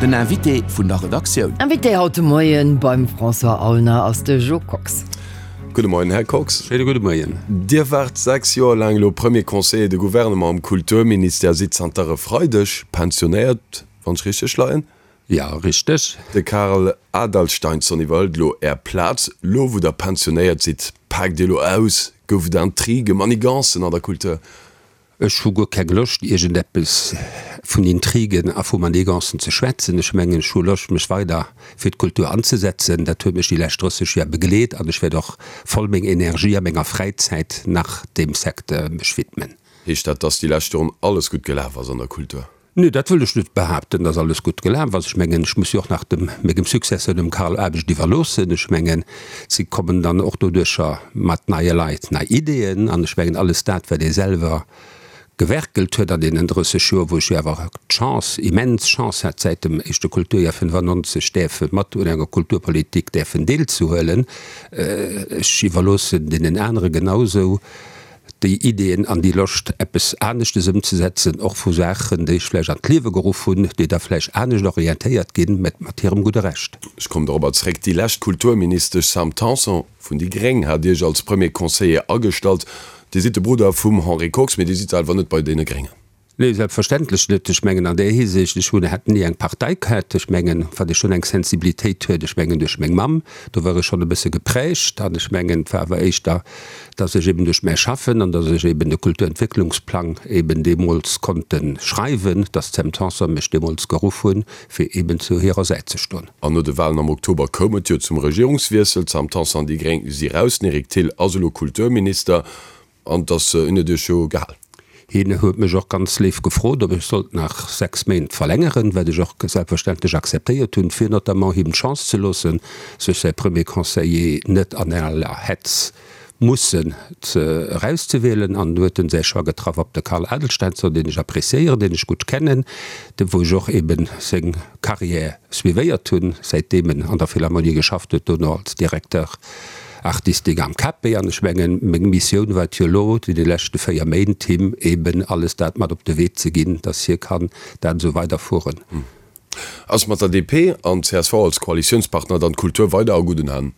Den Invité vun der Redaktioun. Invité haut de Moien beim François Aulner ass de Jo Kox. Gudde Moien, Här Kox. Schéine gudde Moien. Dir waart 6 Joer laang elo Premier Conseiller de Gouvernement am Kulturministère, sidd zanter e Freideg pensionéiert, wann ech richteg leien. Jo, richteg. De Karl Adalsteinsson iwwerhëlt elo Är Plaz. Lo wou Der pensionéiert sidd, paakt Dir elo aus? Gouf et Intrigen, Manigancen an der Kultur? Ech hu guer keng Loscht, iergendeppes vun Intrigen a vu Manigancen ze schwätzen. Ech mengen, ech hu Loscht, mech weider fir d'Kultur anzesetzen. Dat huet mech déi lescht 30 Joer begleet an ech wäert och voll meng Energie a menger Fräizäit nach deem Secteur mech widmen. Heescht dat, dass déi lescht Joren alles gutt gelaf ass an der Kultur? Nee, dat wëll ech net behaapten, dass alles gutt gelaf ass. Ech mengen, ech muss jo och nach dem mengem Successeur, dem Carl, Aarbecht iwwerloossen. Ech mengen, si kommen dann och doduercher mat neie Leit, nei Ideeën. An ech mengen, alles dat, wat ee selwer gewerkelt huet an deenen 30 Joer, wou ech jo awer d'Chance, immens Chance hat, säit dem éischte Kulturjoer 95 däerfe mat un enger Kulturpolitik däerfen deelzehuelen, ech iwwerloossen deenen anere genausou, déi Ideeën an déi Loscht, eppes aneschtes ëmzesetzen, och vu Saachen, déi ech vläicht an d'Liewe geruff hunn, déi da vläicht anescht orientéiert ginn, mä mat hirem gudde Recht. Ech kommen dorobber zréck. Déi lescht Kulturministesch Sam Tanson vun déi gréng hat Iech als Premier Conseiller agestallt. Dir sidd de Brudder vum Henri Kox, mee Dir sidd selwer net bei deene Gréngen. Nee, selbstverständlech net. Ech mengen an där Hisiicht, ech hunn, hat ni eng Partei gehat. Ech mengen, wat ee schonn eng Sensibilitéit huet, ech mengen duerch meng Mamm, do war ech schonn e bësse geprägt an ech mengen, et war awer éischter, datt ech eben duerch mäi Schaffen an datt ech eben de Kulturentwécklungsplang eben deemools konnte schreiwen, datt d'Sam Tanson mech deemools geruff hunn, fir eben zu hirer Säit ze stoen. An no de Walen am Oktober koum et jo zum Regierungswiessel. D'Sam Tanson an déi Gréng si raus, den Eric Thill ass elo Kulturminister. An dass en huet iech jo gehal. Hien huet mech och ganz léif gefrot, ob ech sollt nach 6 Méint verlängeren, wat ech och selbstverständlech akzeptéiert hunn, fir notamment him d'Chance ze loossen, sech säi Premier Conseiller net an aller Hetz mussen erauszewielen. An du huet en säi Choix getraff op de Carl Adelstenson, deen ech appréciéieren, deen ech gutt kennen, de wou ech och eben seng Carrière suivéiert hunn, säitdeem en an der Philharmonie geschafft huet, dono als Directeur Artistique am KP. An ech mengen, meng Missioun war et jo elo, déi leschte 4 Méint him eben alles dat mat op de Wee ze ginn, dass hie kann dat esou weiderfueren. Ass mat der DP an csv als Koalitiounspartner dann d'Kultur weider a gudden Hänn?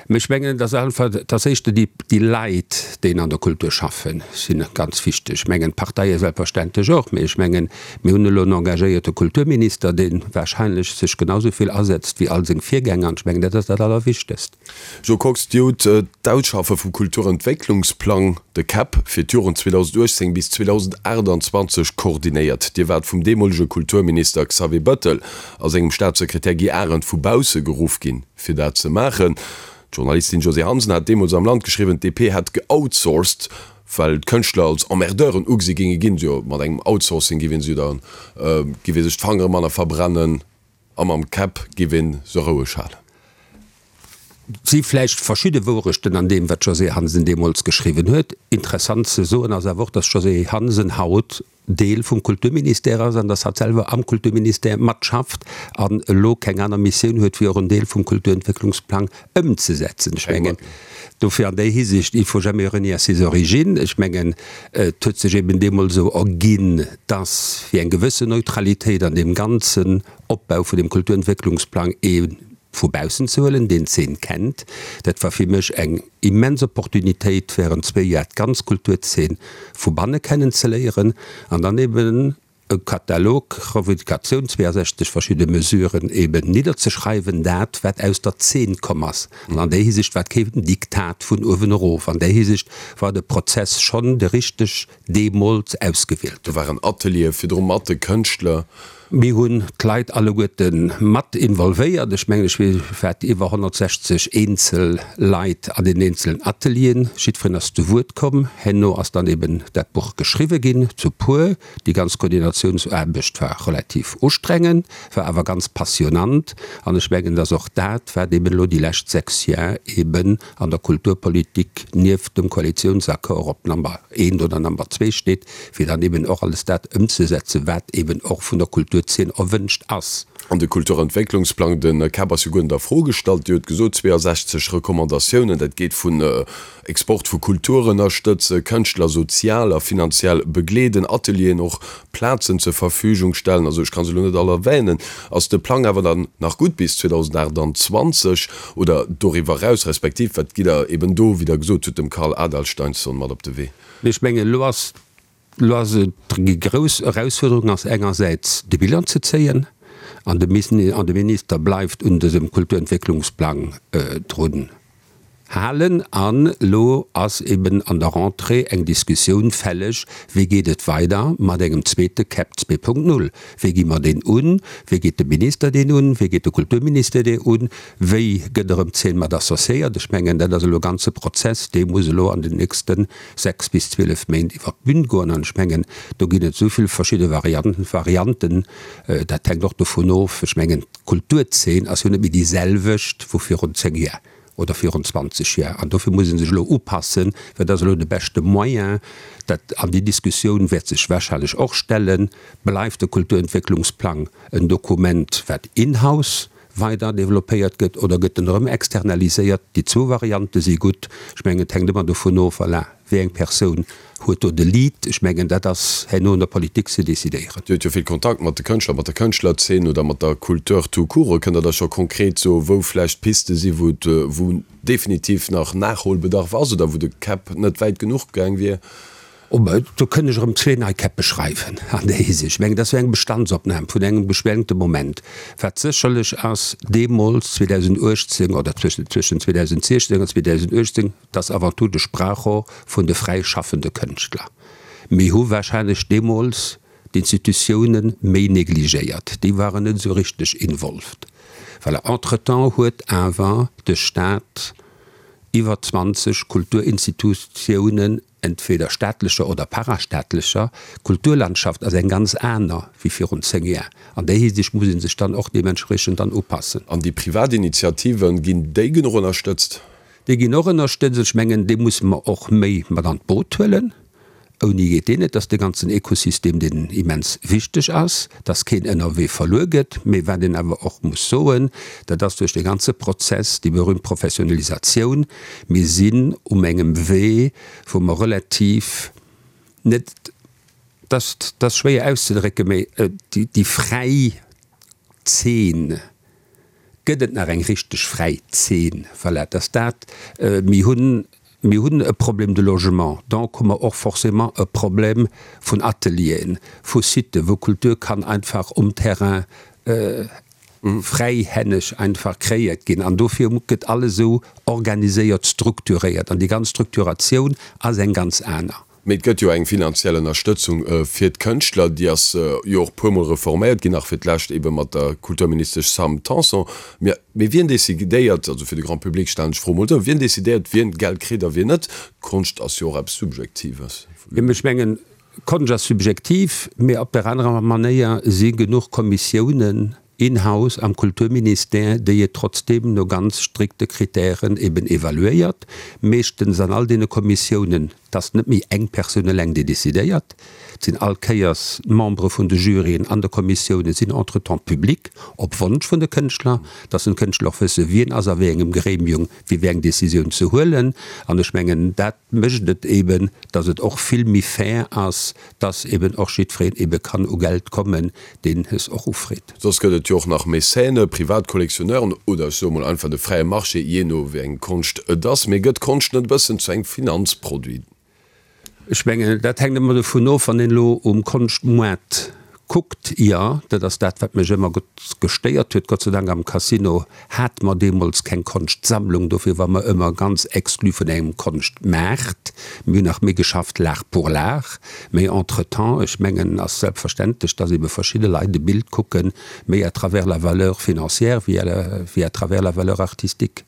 Mä ech mengen, et ass einfach, et ass éischter déi, déi Leit, déi an der Kultur schaffen, si ganz wichteg. Ech mengen, d'Parteie selbstverständlech och, mä ech mengen, mir hunn elo en engagéierte Kulturminister, dee wahrscheinlech sech genau esou vill asetzt wéi all seng Virgänger, an ech mengen, dat ass dat Allerwichtegst. Jo Kox, Dir hutt d'Ausschaffe vum Kulturentwécklungsplang, de KEP, fir d'Joren 2018 bis 2028 koordinéiert. Dir waart vum deemolege Kulturminister Xavier Bettel a sengem Staatssekretär Guy Arendt vu bausse geruff ginn, fir dat ze maachen. D'Journalistin Josée Hansen hat deemools am Land geschriwwen, d'DP hätt geoutsourced, well d'Kënschtler als Emmerdeuren ugesi géinge ginn. Jo, mat engem Outsourcing giff ee se jo dann, giff ee sech d'Fangere manner verbrennen a mam KEP giff ee se roueg halen. Si vläicht verschidde Wourechten an deem, wat d'Josée Hansen deemools geschriwwen huet. Interessant ze soen ass awer och, datt d'Josée Hansen haut Deel vum Kulturministère ass an dass hatt selwer am Kulturministère matschafft an elo keng aner Missioun huet, wéi och en Deel vum Kulturentwécklungsplang ëmzesetzen. Ech mengen, dofir an där Hisiicht, il faut jamais renier ses origines. Ech mengen, et huet sech eben deemools esou erginn, dass fir eng gewëssen Neutralitéit an deem ganzen Opbau vun dem Kulturentwécklungsplang ee vu baussen ze huelen, deen d'Zeen kennt. Dat war fir mech eng immens Opportunitéit, während zwéi Jar d'ganz Kulturzeen vu banne kennen ze léieren an dann eben e Katalog, Revendicatioun, 62 verschidde Mesuren eben nidderzeschreiwen, dat wat aus der Zeen komm ass. An an där Hisiicht war et keen Diktat vun uewen erof. An där Hisiicht war de Prozess schonn de richteg deemools ausgewielt. Do waren Ateliere virdru mat de Kënschtler. Mir hunn d'Leit alleguerte mat involvéiert. Ech mengen, ech weess wat, iwwer 160 eenzel Leit an den eenzelen Atelieren. Jiddwereen ass zu Wuert komm. Herno ass dann eben dat Buch geschriwwe ginn, zu puer. Déi ganz Koordinatiounsaarbecht war relativ ustrengend, war awer ganz passionnant. An ech mengen, dass och dat, wat eben elo déi lescht 6 Jar eben an der Kulturpolitik nieft dem Koalitionsaccord op Number eent oder Number zwee steet, fir dann eben och alles dat ëmzesetzen, wat eben och vun der Kultur. Kulturzeen erwënscht ass. An de Kulturentwécklungsplang, de KEP ass jo guer net a Fro gestallt. Dir hutt gesot, 62 Recommandatiounen, dat geet vun Export vu Kultur ënnerstëtzen, Kënschtler sozial a finanziell begleeden, Atelieren och Plazen zur Verfügung stellen, also ech ka se elo net all erwänen. Ass de Plang awer dann nach gutt bis 2028 oder doriwwer eraus, respektiv wat gitt Der eben do, wéi Der gesot hutt, dem Karl Adalsteinsson mat op de Wee? Mee ech mengen, elo ass Elo ass et déi grouss Erausfuerderung ass engersäits de Bilan ze zéien, an de Minister bleift un dësem Kulturentwécklungsplang drun halen. An elo ass eben an der Rentrée eng Diskussioun fälleg, wéi geet et weider mat engem zweete KEP 2.0? Wéi gi mer deen un? Wéi geet de Minister deen un? Wéi geet de Kulturministère dee un? Wéi gëtt erëm d'Zeen mat associéiert? Ech mengen, dat ass elo e ganze Prozess, dee muss elo an den nächste 6 bis 12 Méint iwwer d'Bün goen. An ech mengen, do ginn et esou vill verschidde Varianten, Varianten, dat hänkt och dovun of, ech mengen, d'Kulturzeen ass jo net méi déi selwecht wou virun 10 Joer oder virun 20 Joer. An dofir muss ee sech elo upassen, wat ass elo de beschte Moyen. Dat, an déi Diskussioun wäert sech wahrscheinlech och stellen, Bleift de Kulturentwécklungsplang en Dokument, wat in-house weider développéiert gëtt oder gëtt en erëm externaliséiert? Déi zwou Variante si gutt. Ech mengen, et hänkt ëmmer dovun of, voilà, wéi eng Persoun huet do de Lead. Ech mengen, dat ass herno un der Politik ze decidéieren. Dir hutt jo vill Kontakt mat de Kënschtler, mat der Kënschtlerzeen oder mat der Kultur tout court. Kënnt Der da scho konkret soen, wou vläicht Piste si wou et, wou definitiv nach Nachholbedarf ass oder wou de KEP net wäit genuch gaang wier? Oh, mä do kënn ech erëm zwee nei Käppe schreiwen an där Hisiicht. Ech mengen, dat ass jo eng Bestandsopnam vun engem beschwängte Moment. Wat sécherlech ass, deemools, 2018 oder zwëschen 2016 an 2018, dat ass avant tout de Sprachrohr vun de fräi schaffende Kënschtler. Mir hu wahrscheinlech deemools d'Institutiounen méi negligéiert, déi waren net esou richteg involved. Voilà, entretemps huet awer de Stat iwwer 20 Kulturinstitutiounen, entweder staatlecher oder parastaatlecher, Kulturlandschaft ass eng ganz aner wéi virun 10 Jar. An där Hisiicht muss ee sech dann och deementspriechend dann upassen. An déi privat Initiativen, ginn déi genuch ënnerstëtzt? Déi ginn och ënnerstëtzt. Ech mengen, déi musse mer och méi mat an d'Boot huelen. Ouni geet deen net. Dat ass de ganzen Ekosystem, deen immens wichteg ass, dass keen ënnerwee verluer gëtt. Mee wat een awer och muss soen, dat ass duerch dee ganze Prozess, déi berühmt Professionalisatioun, Mir sinn um engem Wee, wou mer relativ net, dat ass schwéier auszedrécken, mee déi fräi Zeen, gëtt et nach eng richteg fräi Zeen? Voilà, dass dat, mir hunn, mir hunn e Problème de logement, donc hu mer och forcément e Problem vun Atelieren, vu Siten, wou Kultur kann einfach um Terrain fräihänneg einfach kreéiert ginn an dofir gëtt alles esou organiséiert, strukturiert an déi ganz Structuratioun ass eng ganz aner. Mee et gëtt jo eng finanziell Ënnerstëtzung fir d'Kënschtler, déi ass jo och puermol reforméiert ginn, nach fir d'lescht ebe mat der Kulturministesch Sam Tanson. Mee wien decidéiert, also fir de Grand public stellen ech d'Fro emol esou, wien decidéiert, wien Geld kritt a wien net? Konscht ass jo och eppes Subjektives. Ech mengen, Konscht ass subjektiv, mee op der anerer Manéier si genuch Kommissiounen in-house am Kulturministère, déi et trotzdeem no ganz strikte Kritären eben evaluéiert. Meeschtens an all deene Kommissiounen, et ass net méi eng Persoun eleng, déi decidéiert, et sinn all Kéiers d'Membere vun de Juryen an de Kommissiounen sinn entretemps public, op Wonsch vun de Kënschtler, dass den Kënschtler och wësse wien ass a wéi engem Gremium fir wéi eng Décisioun ze huelen. An ech mengen, dat mécht et eben, dass et och vill méi fair ass, dass eben och jiddwereen ebe kann u Geld kommen, deen es och ufreet. Soss gëtt et jo och nach Mécène, privat Collectionneuren oder ech soe mol einfach de fräie Marché, jee no wéi eng Konscht et ass. Mee gëtt Konscht net e bëssen zu engem Finanzproduit? Ech mengen, dat hänkt ëmmer dovun of, wann een elo um Konschtmoart kuckt, jo, dat ass dat, wat mech ëmmer gestéiert huet. Gott sei Dank am Casino hate mer deemools keng Konschtsammlung, dofir war mer ëmmer ganz exclu vun engem Konschtmaart. Mir hunn nach méi geschafft l'art pour l'art. Mee entretemps, ech mengen, ass selbstverständlech, dass ebe verschidde Leit e Bild kucken, méi à travers la valeur financière wéi à travers la valeur artistique.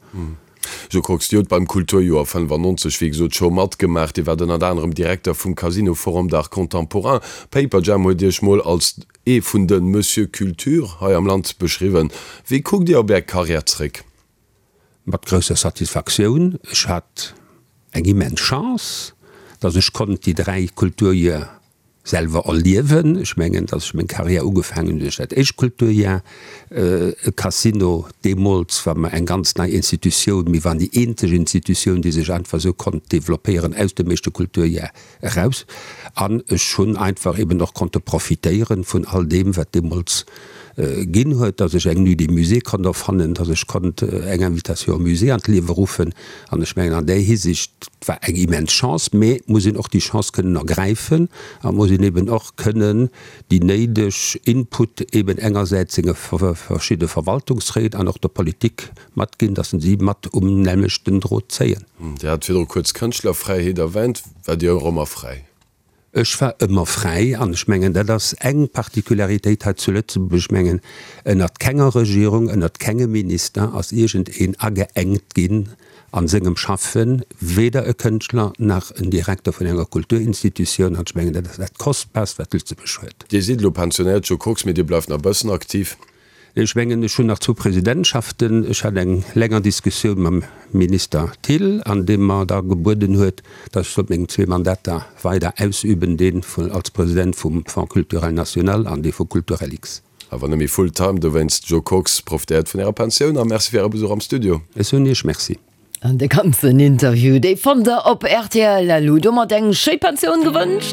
Jo Kox, Dir hutt beim Kulturjoer 95 wéi gesot scho matgemaach. Dir waart ënnert anerem Direkter vum Casino Forum d'Art Contemporain. Paperjam huet Iech mol als ee vun de Monsieur Culture hei am Land beschriwwen. Wéi kuckt Dir op Är Karriär zréck? Mat grousser Satisfaktioun. Ech hat eng immens Chance, datt ech konnt déi 3 Kulturjoer. selwer erliewen. Ech mengen, datt ech meng Carrière ugefaangen hunn duerch dat éischt Kulturjahr. E Casino deemools war mer eng ganz nei Institutioun. Mir waren déi eenzeg Institutioun, déi sech einfach esou konnt developpéieren aus dem éischte Kulturjahr eraus. An ech hunn einfach eben och konnte profitéieren vun all deem, wat deemools ginn huet, datt ech eng Nuit des Musées konnt erfannen, datt ech konnt eng Invitation au musée an d'Liewe ruffen. An ech mengen, an där Hisiicht, et war eng immens Chance, mä et muss een och déi Chance kënnen ergräifen a muss een eben och kënnen déi néideg Input eben engersäits senge verschidde Verwaltungsréit an och der Politik matginn, datt se mat um nämmlechten Drot zéien. Dir hat virdru kuerz d'Kënschtlerfräiheet erwänt. Waart Dir och ëmmer fräi? Ech war ëmmer fräi an ech mengen, dat ass eng Particularitéit hei zu Lëtzebuerg. Ech mengen, ënnert kenger Regierung, ënnert kengem Minister ass iergendeen ageengt ginn a sengem Schaffen, weder e Kënschtler nach en Direkter vun enger Kulturinstitutioun. An ech mengen, dat ass dat Kostbarst, wat Lëtzebuerg huet. Dir sidd elo pensionéiert, Jo Kox, mee Dir bleift nach e bëssen aktiv. Ech mengen, ech hunn nach zwou Presidentschaften. Ech hat eng länger Diskussioun mam Minister Thill, an deem mer da gebueden huet, datt ech sollt meng zwee Mandater weider ausüben, dee vun als President vum Fonds culturel national an dee vu Kulturellix. Awer net méi full time dowéinst. Jo Kox, profitéiert vun Ärer Pensioun a Merci fir Äre Besuch am Studio. Ech soen Iech Merci. An de ganzen Interview, dee fannt der op rtl. Elo domat eng schéi Pensioun gewënscht.